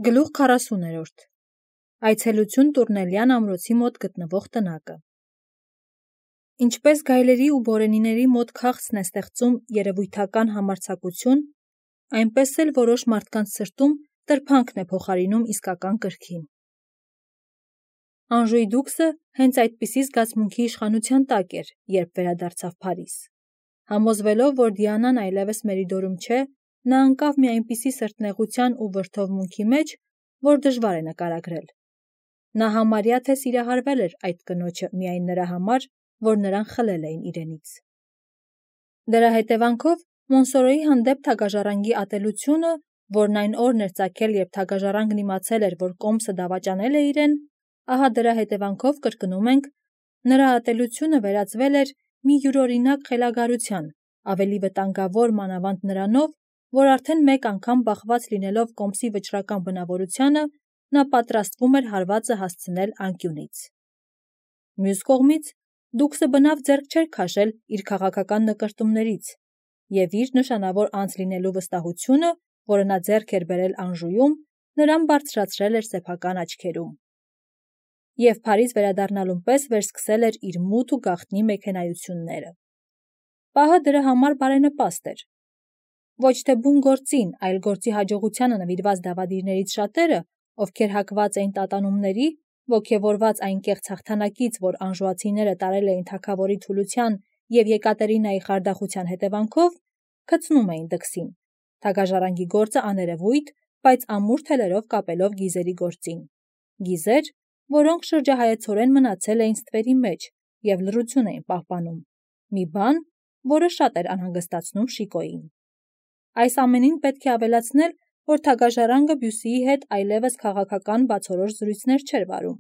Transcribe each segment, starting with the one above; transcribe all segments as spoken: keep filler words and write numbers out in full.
Գլուխ քառասուներորդ Այցելություն Տուրնելյան ամրոցի մոտ գտնվող տնակը Ինչպես գայլերի ու բորենիների մոտ քաղցն է ստեղծում երևույթական համարձակություն, այնպես էլ որոշ մարդկանց սրտում տրփանքն է փոխարինում իսկական կրքին։ Անժուի դուքսը հենց այդպիսի զգացմունքի իշխանության տակ էր, երբ վերադարձավ Փարիզ։ Համոզվելով, որ Դիանան այլևս Մերիդորում չէ, նա ընկավ մի այնպիսի սրտնեղության ու վրդովմունքի մեջ, որ դժվար է նկարագրել։ Նա համարյա թե սիրահարվել էր այդ կնոջը միայն նրա համար, որ նրան խլել էին իրենից։ Դրա հետևանքով Մոնսորոյի հանդեպ թագաժառանգի ատելությունը, որն այն օրն էր ծագել, երբ թագաժառանգն իմացել էր, որ կոմսը դավաճանել է իրեն, ահա դրա հետևանքով կրկնում ենք, նրա ատելությունը վերածվել էր մի յուրօրինակ խելագարության, ավելի վտանգավոր մանավանդ նրանով, որ արդեն մեկ անգամ բախված լինելով կոմսի վճռական բնավորությանը, նա պատրաստվում էր հարվածը հասցնել անկյունից։ Մյուս կողմից, դուքսը բնավ ձեռք չէր քաշել իր քաղաքական նկրտումներից, և իր նշանավոր անձ լինելու վստահությունը, որը նա ձեռք էր բերել Անժուում, նրան բարձրացրել էր սեփական աչքերում։ Եվ Փարիզ վերադառնալուն պես վերսկսել էր իր մութ ու գաղտնի մեքենայությունները։ Պահը դրա համար բարենպաստ էր։ Ոչ թե բուն գործին, այլ գործի հաջողությանը նվիրված դավադիրներից շատերը, ովքեր հակված էին տատանումների, ոգևորված այն կեղծ հաղթանակից, որ անժուացիները տարել էին թագավորի թուլության և Եկատերինայի խարդախության հետևանքով, գցնում էին դքսին, թագաժառանգի գործը աներևույթ, բայց ամուր թելերով կապելով գիզերի գործին։ Գիզեր, որոնք շրջահայացորեն մնացել էին ստվերի մեջ և լռություն էին պահպանում, մի բան, որը շատ էր անհանգստացնում Շիկոյին։ Այս ամենին պետք է ավելացնել, որ թագաժառանգը Բյուսիի հետ այլևս քաղաքական բացորոշ զրույցներ չէր վարում։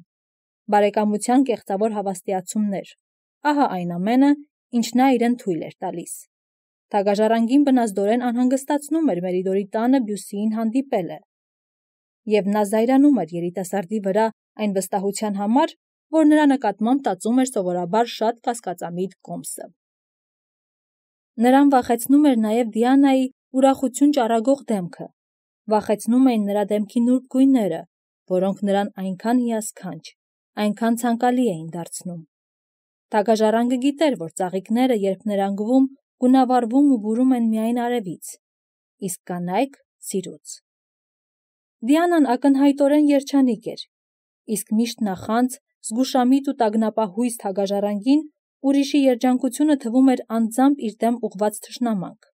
Բարեկամության կեղծավոր հավաստիացումներ, ահա այն ամենը, ինչ նա իրեն թույլ էր տալիս։ Թագաժառանգին բնազդորեն անհանգստացնում էր Մերիդորի տանը Բյուսիին հանդիպելը, և նա զայրանում էր երիտասարդի վրա այն վստահության համար, որ նրա նկատմամբ տածում էր սովորաբար շատ կասկածամիտ կոմսը։ Նրան վախեցնում էր նաև Դիանայի ուրախություն ճառագող դեմքը, վախեցնում էին նրա դեմքի նուրբ գույները, որոնք նրան այնքան հիասքանչ, այնքան ցանկալի էին դարձնում։ Թագաժառանգը գիտեր, որ ծաղիկները, երբ ներանգվում, գունավառվում ու բուրում են միայն արևից, իսկ կանայք՝ սիրուց։ Դիանան ակնհայտորեն երջանիկ էր, իսկ միշտ նախանձ, զգուշամիտ ու տագնապահույս թագաժառանգին ուրիշի երջանկությունը թվում էր անձամբ իր դեմ ուղղված թշնամանք։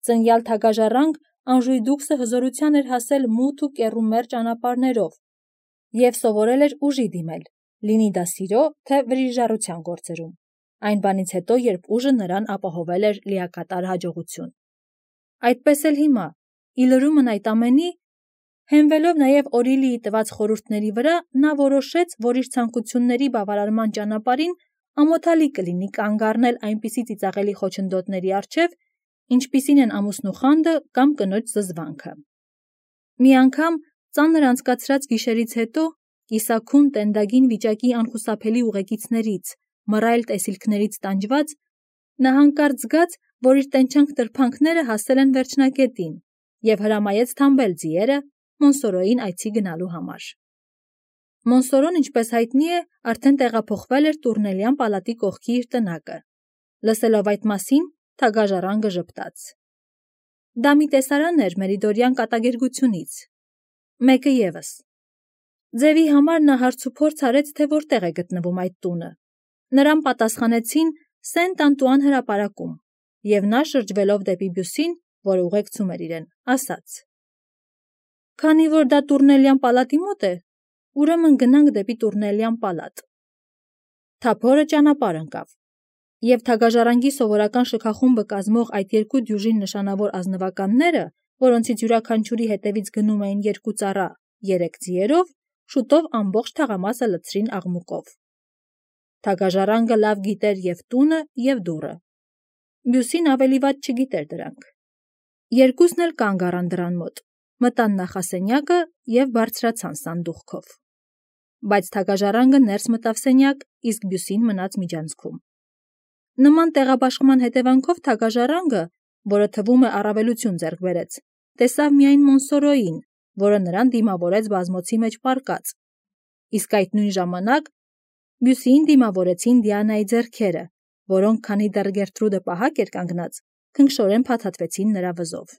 Ծնյալ թագաժառանգ Անժուի դուքսը հզորության էր հասել մութ ու կեռումեռ ճանապարհներով և սովորել էր ուժի դիմել, լինի դա սիրո, թե վրիժառության գործերում, այն բանից հետո, երբ ուժը նրան ապահովել էր լիակատար հաջողություն։ Այդպես էլ հիմա, ի լրումն այդ ամենի, հենվելով նաև Օրիլիի տված խորհուրդների վրա, նա որոշեց, որ իր ցանկությունների բավարարման ճանապարհին ամոթալի կլինի կանգ առնել այնպիսի ծիծաղելի խոչընդոտների առջև, ինչպիսին են ամուսնու խանդը կամ կնոջ զզվանքը։ Մի անգամ, ծանր անցկացրած գիշերից հետո, կիսաքուն տենդագին վիճակի անխուսափելի ուղեկիցներից, մռայլ տեսիլքներից տանջված, նա հանկարծ զգաց, որ իր տենչանք տրփանքները հասել են վերջնակետին և հրամայեց թամբել ձիերը Մոնսորոյին այցի գնալու համար։ Մոնսորոն, ինչպես հայտնի է, արդեն տեղափոխվել էր Տուրնելյան պալատի կողքի իր տնակը։ Լսելով այդ մասին, թագաժառանգը ժպտաց։ Դա մի տեսարան էր մերիդորյան կատակերգությունից։ Մեկը ևս։ Ձևի համար նա հարցուփորձ արեց, թե որտեղ է գտնվում այդ տունը։ Նրան պատասխանեցին Սենտ Անտուան հրապարակում, և նա, շրջվելով դեպի Բյուսին, որը ուղեկցում էր իրեն, ասաց. «Քանի որ դա Տուրնելյան պալատի մոտ է, ուրեմն գնանք դեպի Տուրնելյան պալատ»։ Թափորը ճանապարհ ընկավ, և թագաժառանգի սովորական շքախումբը կազմող այդ երկու դյուժին նշանավոր ազնվականները, որոնցից յուրաքանչյուրի հետևից գնում էին երկու ծառա, երեք ձիերով, շուտով ամբողջ թաղամասը լցրին աղմուկով։ Թագաժառանգը լավ գիտեր և տունը, և դուռը։ Բյուսին ավելի վատ չգիտեր դրանք։ Երկուսն էլ կանգ առան դռան մոտ, մտան նախասենյակը և բարձրացան սանդուղքով։ Բայց թագաժառանգը ներս մտավ սենյակ, իսկ Բյուսին մնաց միջանցքում։ Նման տեղաբաշխման հետևանքով թագաժառանգը, որը թվում է առավելություն ձեռք բերեց, տեսավ միայն Մոնսորոյին, որը նրան դիմավորեց բազմոցի մեջ պառկած, իսկ այդ նույն ժամանակ մյուսին դիմավորեցին Դիանայի ձեռքերը, որոնք, քանի դեռ Գերտրուդը պահակ էր կանգնած, քնքշորեն փաթաթվեցին նրա վզով։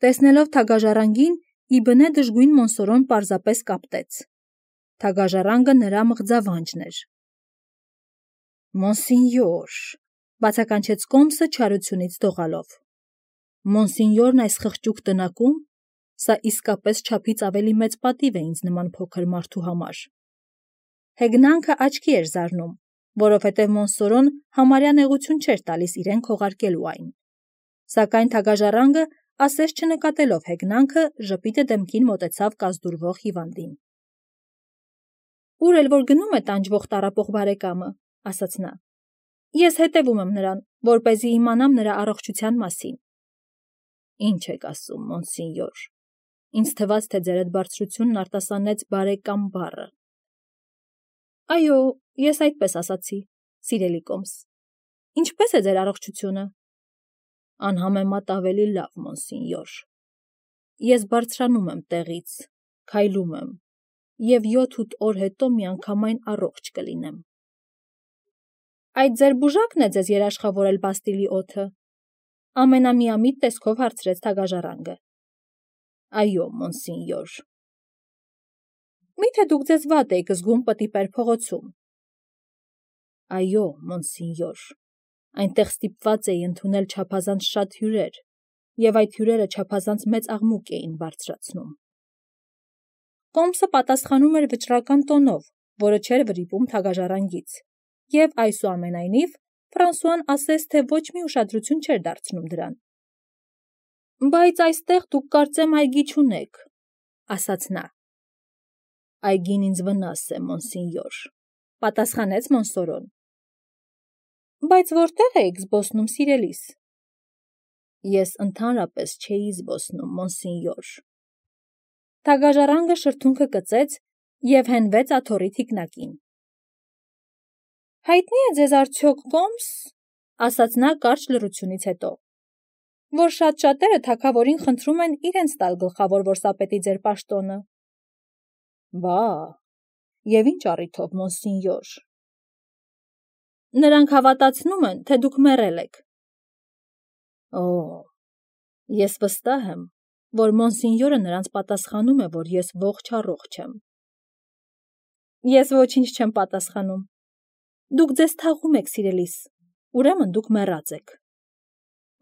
Տեսնելով թագաժառանգին, Իբնե դժգույն Մոնսորոն պարզապես կապտեց։ Թագաժառանգը նրա մղձավանջն էր։ Մոնսինյոր, բացականչեց Կոմսը չարությունից դողալով։ Մոնսինյորն այս խղճուկ տնակում, սա իսկապես չափից ավելի մեծ պատիվ է ինձ նման փոքր մարդու համար։ Հեգնանքը աչքի էր զարնում, որովհետև Մոնսորոն համարյա նեղություն չէր տալիս իրեն քողարկելու այն։ Սակայն թագաժառանգը, ասես չնկատելով հեգնանքը, ժպիտը դեմքին մոտեցավ կազդուրվող հիվանդին։ Ուր էլ որ գնում է տանջվող տառապող բարեկամը, ասաց նա, ես հետևում եմ նրան, որպեսզի իմանամ նրա առողջության մասին։ Ինչ եք ասում, Մոնսինյոր, ինձ թվաց, թե ձերդ բարձրությունն արտասանեց բարեկամ բառը։ Այո, ես այդպես ասացի, սիրելի Կոմս։ Ինչպես է ձեր առողջությունը։ Անհամեմատ ավելի լավ, Մոնսինյոր։ Ես բարձրանում եմ տեղից, քայլում եմ, և յոթ-ութ օր հետո միանգամայն առողջ կլինեմ։ Այդ ձեր բուժակն է ձեզ երաշխավորել Բաստիլի օդը, ամենամիամիտ տեսքով հարցրեց թագաժառանգը։ Այո, Մոնսինյոր։ Մի՞թե դուք ձեզ վատ էիք զգում պտիպեր փողոցում։ Այո, Մոնսինյոր, այնտեղ ստիպված էի ընդունել չափազանց շատ հյուրեր, և այդ հյուրերը չափազանց մեծ աղմուկ էին բարձրացնում։ Կոմսը պատասխանում էր վճռական տոնով, որը չէր վրիպում թագաժառանգից, և այսուամենայնիվ Ֆրանսուան ասես թե ոչ մի ուշադրություն չէր դարձնում դրան։ Բայց այստեղ դուք կարծեմ այգի չունեք, ասաց նա։ Այգին ինձ վնաս է, Մոնսինյոր, պատասխանեց Մոնսորոն։ Բայց որտե՞ղ էիք զբոսնում, սիրելիս։ Ես ընդհանրապես չէի զբոսնում, Մոնսինյոր։ Թագաժառանգը շրթունքը կծեց և հենվեց աթոռի թիկնակին։ Հայտնի է ձեզ արդյոք, Կոմս, ասաց նա կարճ լռությունից հետո, որ շատ շատերը թագավորին խնդրում են իրենց տալ գլխավոր որսապետի ձեր պաշտոնը։ Բա, և ինչ առիթով, Մոնսինյոր։ Նրանք հավատացնում են, թե դուք մեռել եք։ Օ, ես վստահ եմ, որ Մոնսինյորը նրանց պատասխանում է, որ ես ողջ-առողջ եմ։ Ես ոչինչ չեմ պատասխանում։ Դուք ձեզ թաղում եք, սիրելիս, ուրեմն դուք մեռած եք։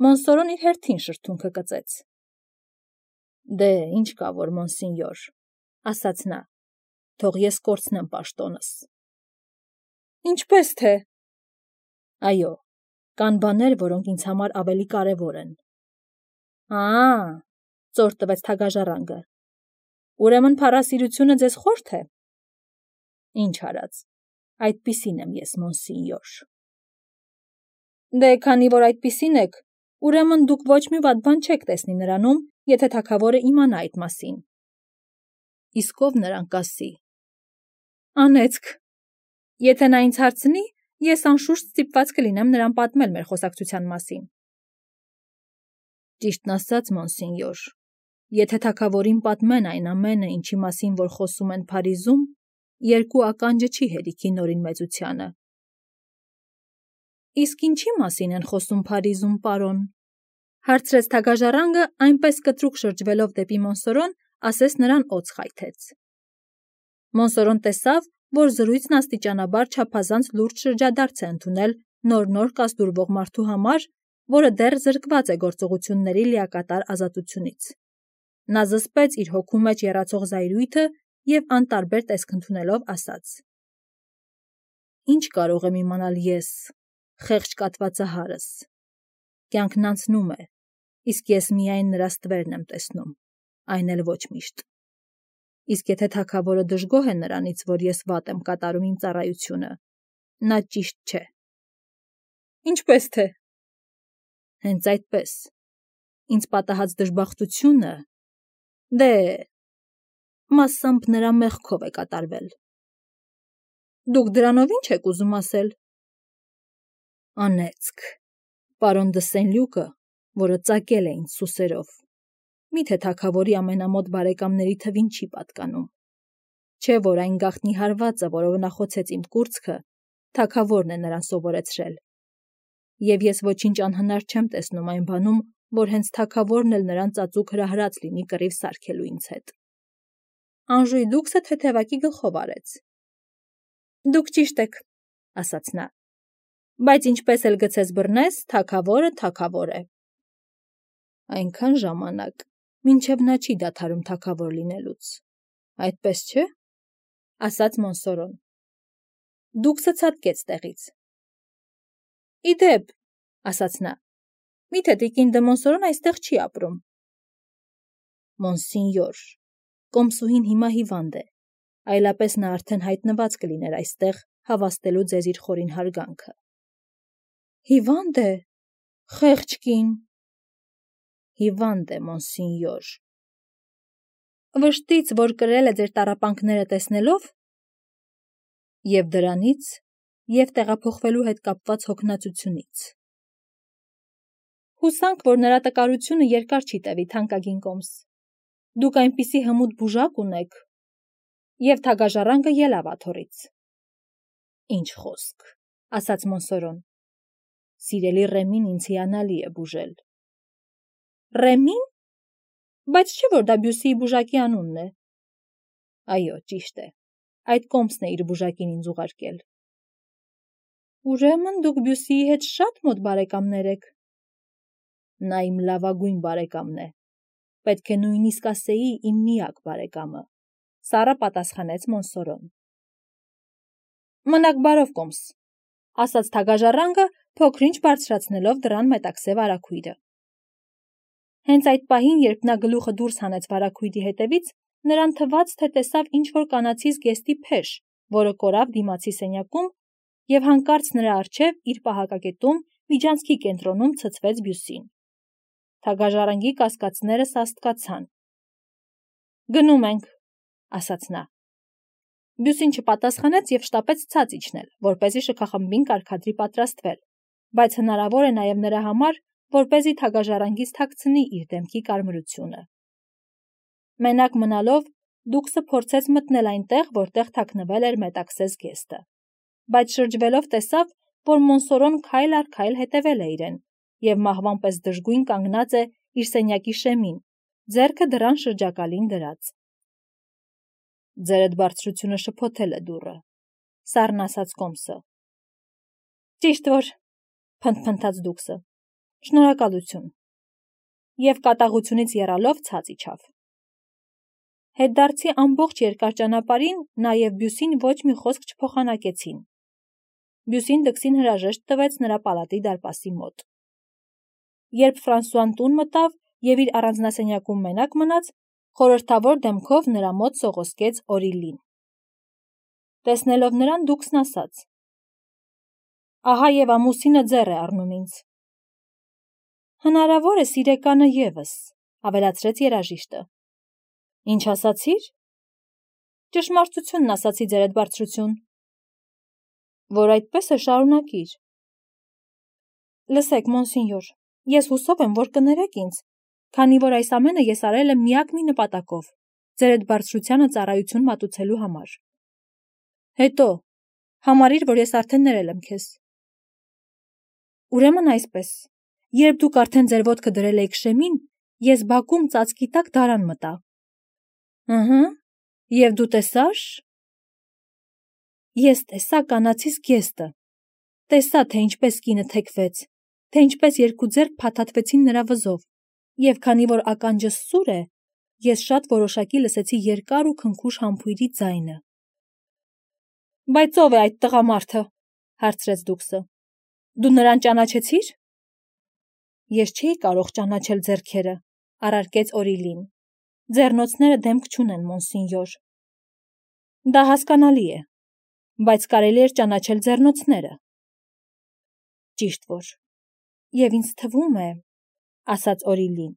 Մոնսորոն իր հերթին շրթունքը կծեց։ Դե, ինչ կա որ, Մոնսինյոր, ասաց նա, թող ես կորցնեմ պաշտոնս։ Ինչպես թե։ Այո, կան բաներ, որոնք ինձ համար ավելի կարևոր են։ Ա, ծոր տվեց թագաժառանգը։ Ուրեմն փառասիրությունը ձեզ խորթ է։ Ինչ արած, այդպիսին եմ ես, Մոնսինյոր։ Դե, քանի որ այդպիսին եք, ուրեմն դուք ոչ մի վատ բան չեք տեսնի նրանում, եթե թագավորը իմանա այդ մասին։ Իսկ ով նրան կասի։ Անեծք։ Եթե նա ինձ հարցնի, ես անշուշտ ստիպված կլինեմ նրան պատմել մեր խոսակցության մասին։ Ճիշտն ասած, Մոնսինյոր, եթե թագավորին պատմեն այն ամենը, ինչի մասին որ խոսում են Փարիզում, երկու ականջը չի հերիքի նորին մեծությանը։ Իսկ ինչի մասին են խոսում Փարիզում, պարոն, հարցրեց թագաժառանգը, այնպես կտրուկ շրջվելով դեպի Մոնսորոն, ասես նրան օձ խայթեց։ Մոնսորոն տեսավ, որ զրույցն աստիճանաբար չափազանց լուրջ շրջադարձ է ընդունել նոր-նոր կազդուրվող մարդու համար, որը դեռ զրկված է գործողությունների լիակատար ազատությունից։ Նա զսպեց իր հոգու մեջ եռացող զայրույթը և անտարբեր տեսք ընդունելով ասաց. Ինչ կարող եմ իմանալ ես, խեղճ կատվածահարս։ Կյանքն անցնում է, իսկ ես միայն նրա ստվերն եմ տեսնում, այն էլ ոչ միշտ։ Իսկ եթե թագավորը դժգոհ է նրանից, որ ես վատ եմ կատարում իմ ծառայությունը, նա ճիշտ չէ։ Ինչպես թե։ Հենց այդպես։ Ինձ պատահած դժբախտությունը, դե, մասամբ նրա մեղքով է կատարվել։ Դուք դրանով ինչ եք ուզում ասել։ Անեծք, պարոն դը Սենլյուկը, որը ծակել է ինձ սուսերով, Միթե թագավորի ամենամոտ բարեկամների թվին չի պատկանում։ Չէ որ այն գաղտնի հարվածը, որով նա խոցեց իմ կուրծքը, թագավորն է նրան սովորեցրել։ Եվ ես ոչինչ անհնար չեմ տեսնում այն բանում, որ հենց թագավորն էլ նրան ծածուկ հրահրած լինի կռիվ սարքելու ինձ հետ։ Անժուй դուքսը թեթևակի գլխով արեց։ Դուք ճիշտ եք, ասաց նա, բայց ինչպես էլ գցես բռնես, թագավորը թագավոր է։ Այնքան ժամանակ, մինչև նա չի դադարում թագավոր լինելուց։ Այդպես չէ, ասաց Մոնսորոն։ Դուքսը ցատկեց տեղից։ Իդեպ, ասաց նա, միթե տիկին դե Մոնսորոն այստեղ չի ապրում։ Մոնսինյոր, կոմսուհին հիմա հիվանդ է, այլապես նա արդեն հայտնված կլիներ այստեղ հավաստելու ձեզ իր խորին հարգանքը։ Հիվանդ է, խեղճ կին։ Հիվանդ է, մոնսինյոր։ Վշտից, որ կրել է ձեր տառապանքները տեսնելով, և դրանից, և տեղափոխվելու հետ կապված հոգնածությունից։ Հուսանք, որ նրա տկարությունը երկար չի տևի, թանկագին կոմս։ Դուք այնպիսի հմուտ բուժակ ունեք, և թագաժառանգը ելավ աթոռից։ Ինչ խոսք, ասաց Մոնսորոն։ Սիրելի Ռեմին ինձ հիանալի է բուժել։ Ռեմին, բայց չէ որ դա Բյուսիի բուժակի անունն է։ Այո, ճիշտ է, այդ կոմսն է իր բուժակին ինձ ուղարկել։ Ուրեմն դուք Բյուսիի հետ շատ մոտ բարեկամներ եք։ Նա իմ լավագույն բարեկամն է, պետք է նույնիսկ ասեի իմ միակ բարեկամը, սառը պատասխանեց Մոնսորոն։ Մնաք բարով, կոմս, ասաց թագաժառանգը, փոքր-ինչ բարձրացնելով դռան մետաքսե վարագույրը։ Հենց այդ պահին, երբ նա գլուխը դուրս հանեց վարագույրի հետևից, նրան թվաց, թե տեսավ ինչ-որ կանացի զգեստի փեշ, որը կորավ դիմացի սենյակում, և հանկարծ նրա առջև, իր պահակակետում, միջանցքի կենտրոնում ցցվեց Բյուսին։ Թագաժառանգի կասկածները սաստկացան։ Գնում ենք, ասաց նա։ Բյուսին չպատասխանեց և շտապեց ցած իջնել, որպեսզի շքախմբին կարգադրի պատրաստվել, բայց հնարավոր է նաև նրա համար, որպեսզի թագաժառանգից թաքցնի իր դեմքի կարմրությունը։ Մենակ մնալով, դուքսը փորձեց մտնել այնտեղ, որտեղ թաքնվել էր մետաքսե զգեստը, բայց շրջվելով տեսավ, որ Մոնսորոն քայլ առ քայլ հետևել է իրեն, և մահվան պես դժգույն կանգնած է իր սենյակի շեմին, ձեռքը դռան շրջակալին դրած։ Ձերդ բարձրությունը շփոթել է դուռը, սառն ասաց կոմսը։ Ճիշտ որ, փնթփնթաց դուքսը, շնորհակալություն, և կատաղությունից եռալով ցած իջավ։ Հետդարձի ամբողջ երկար ճանապարհին նա և Բյուսին ոչ մի խոսք չփոխանակեցին։ Բյուսին դքսին հրաժեշտ տվեց նրա պալատի դարպասի մոտ։ Երբ Ֆրանսուան տուն մտավ և իր առանձնասենյակում մենակ մնաց, խորհրդավոր դեմքով նրա մոտ սողոսկեց Օրիլին։ Տեսնելով նրան, դուքսն ասաց. Ահա և ամուսինը ձեռ է առնում ինձ։ Հնարավոր է սիրեկանը ևս, ավելացրեց երաժիշտը։ Ինչ ասացիր։ Ճշմարտությունն ասացի, ձերդ բարձրություն։ Որ այդպես է, շարունակիր։ Լսեք, մոնսինյոր, ես հուսով եմ, որ կներեք ինձ, քանի որ այս ամենը ես արել եմ միակ մի նպատակով, ձերդ բարձրությանը ծառայություն մատուցելու համար։ Հետո, համարիր, որ ես արդեն ներել եմ քեզ։ Ուրեմն այսպես, երբ դուք արդեն ձեր ոտքը դրել էիք շեմին, ես բակում ծածկի տակ դարան մտա։ Ըհը, և դու տեսա՞ր։ Ես տեսա կանացի զգեստը, տեսա, թե ինչպես կինը թեքվեց, թե ինչպես երկու ձեռք փաթաթվեցին նրա վզով, և քանի որ ականջս սուր է, ես շատ որոշակի լսեցի երկար ու քնքուշ համբույրի ձայնը։ Բայց ո՞վ է այդ տղամարդը, հարցրեց դուքսը։ Դու նրան ճանաչեցի՞ր։ Ես չէի կարող ճանաչել ձեռքերը, առարկեց Օրիլին։ Ձեռնոցները դեմք չունեն, մոնսինյոր։ Դա հասկանալի է, բայց կարելի էր ճանաչել ձեռնոցները։ Ճիշտ որ, և ինձ թվում է, ասաց Օրիլին,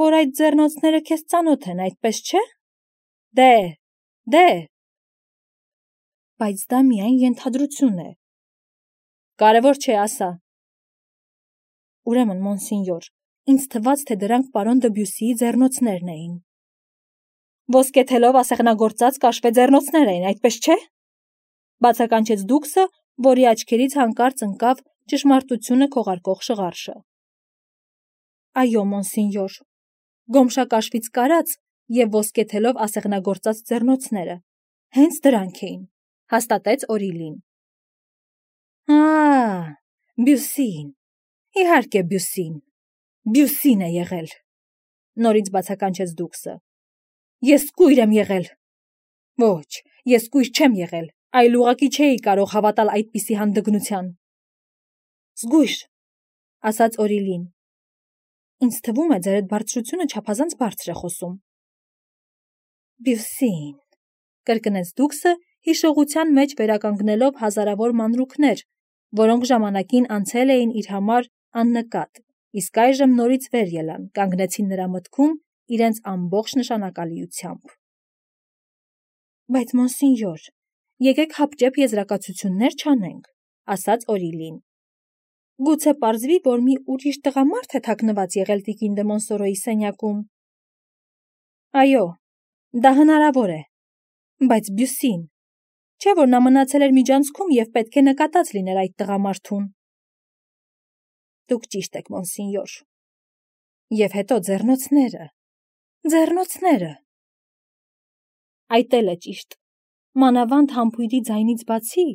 որ այդ ձեռնոցները քեզ ծանոթ են, այդպես չէ։ Դե, դե։ Բայց դա միայն ենթադրություն է։ Կարևոր չէ, ասա։ Ուրեմն, մոնսինյոր, Ինձ թվաց, թե դրանք պարոն Դբյուսիի ձեռնոցներն էին։ Ոսկեթելով ասեղնագործած կաշվե ձեռնոցներ էին, այդպես չէ՞։ Բացականչեց Դուքսը, որի աչքերից հանկարծ ընկավ ճշմարտությունը քողարկող շղարշը։ Այո, մոնսինյոր, գոմշակաշվից կարած և ոսկեթելով ասեղնագործած ձեռնոցները, հենց դրանք էին, հաստատեց Օրիլին։ Ա, Բյուսին, իհարկե Բյուսին, Բյուսին է եղել, նորից բացականչեց Դուքսը։ Ես կույր եմ եղել։ Ոչ, ես կույր չեմ եղել, այլ ուղղակի չէի կարող հավատալ այդպիսի հանդգնության։ Զգույշ, ասաց Օրիլին։ Ինձ թվում է, ձեր այդ բարձրությունը չափազանց բարձր է խոսում։ Բյուսին, կրկնեց Դուքսը, հիշողության մեջ վերականգնելով հազարավոր մանրուքներ, որոնք ժամանակին անցել էին իր համար աննկատ, իսկ այժմ նորից վեր ելան, կանգնեցին նրա մտքում իրենց ամբողջ նշանակալիությամբ։ Բայց մոնսինյոր, եկեք հապճեպ եզրակացություններ չանենք, ասաց Օրիլին։ Գուցե պարզվի, որ մի ուրիշ տղամարդ է թաքնված եղել տիկին դե Մոնսորոյի սենյակում։ Այո, դա հնարավոր է, բայց Բյուսին, չէ՞ որ նա մնացել էր միջանցքում և պետք է նկատած լիներ այդ տղամարդուն։ Դուք ճիշտ եք, մոնսինյոր։ Եվ հետո ձեռնոցները, ձեռնոցները։ Այդ էլ է ճիշտ։ Մանավանդ համբույրի ձայնից բացի,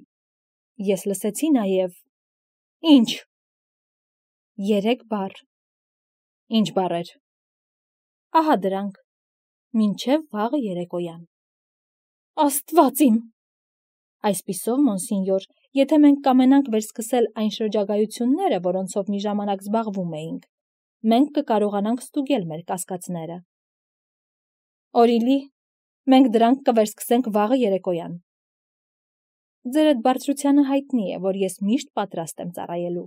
ես լսեցի նաև… Ինչ։ Երեք բառ։ Ինչ բառեր։ Ահա դրանք. մինչև վաղը երեկոյան։ Աստված իմ։ Այսպիսով, մոնսինյոր, եթե մենք կամենանք վերսկսել այն շրջագայությունները, որոնցով մի ժամանակ զբաղվում էինք, մենք կկարողանանք ստուգել մեր կասկածները։ Օրիլի, մենք դրանք կվերսկսենք վաղը երեկոյան։ Ձեր այդ բարձրությանը հայտնի է, որ ես միշտ պատրաստ եմ ծառայելու։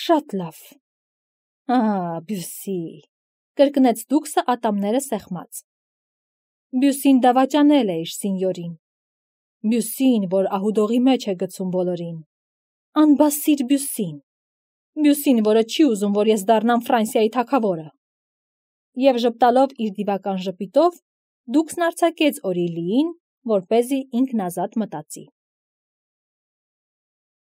Շատ լավ։ Ա, Բյուսի, կրկնեց Դուքսը ատամները սեղմած։ Բյուսին դավաճանել է իր սինյորին։ Բյուսին, որ ահուդողի մեջ է գցում բոլորին։ Անբասիր Բյուսին։ Բյուսին, որը չի ուզում, որ ես դառնամ Ֆրանսիայի թագավորը։ Եվ ժպտալով իր դիվական ժպիտով, Դուքսն արձակեց Օրիլիին, որպեսզի ինքն ազատ մտածի։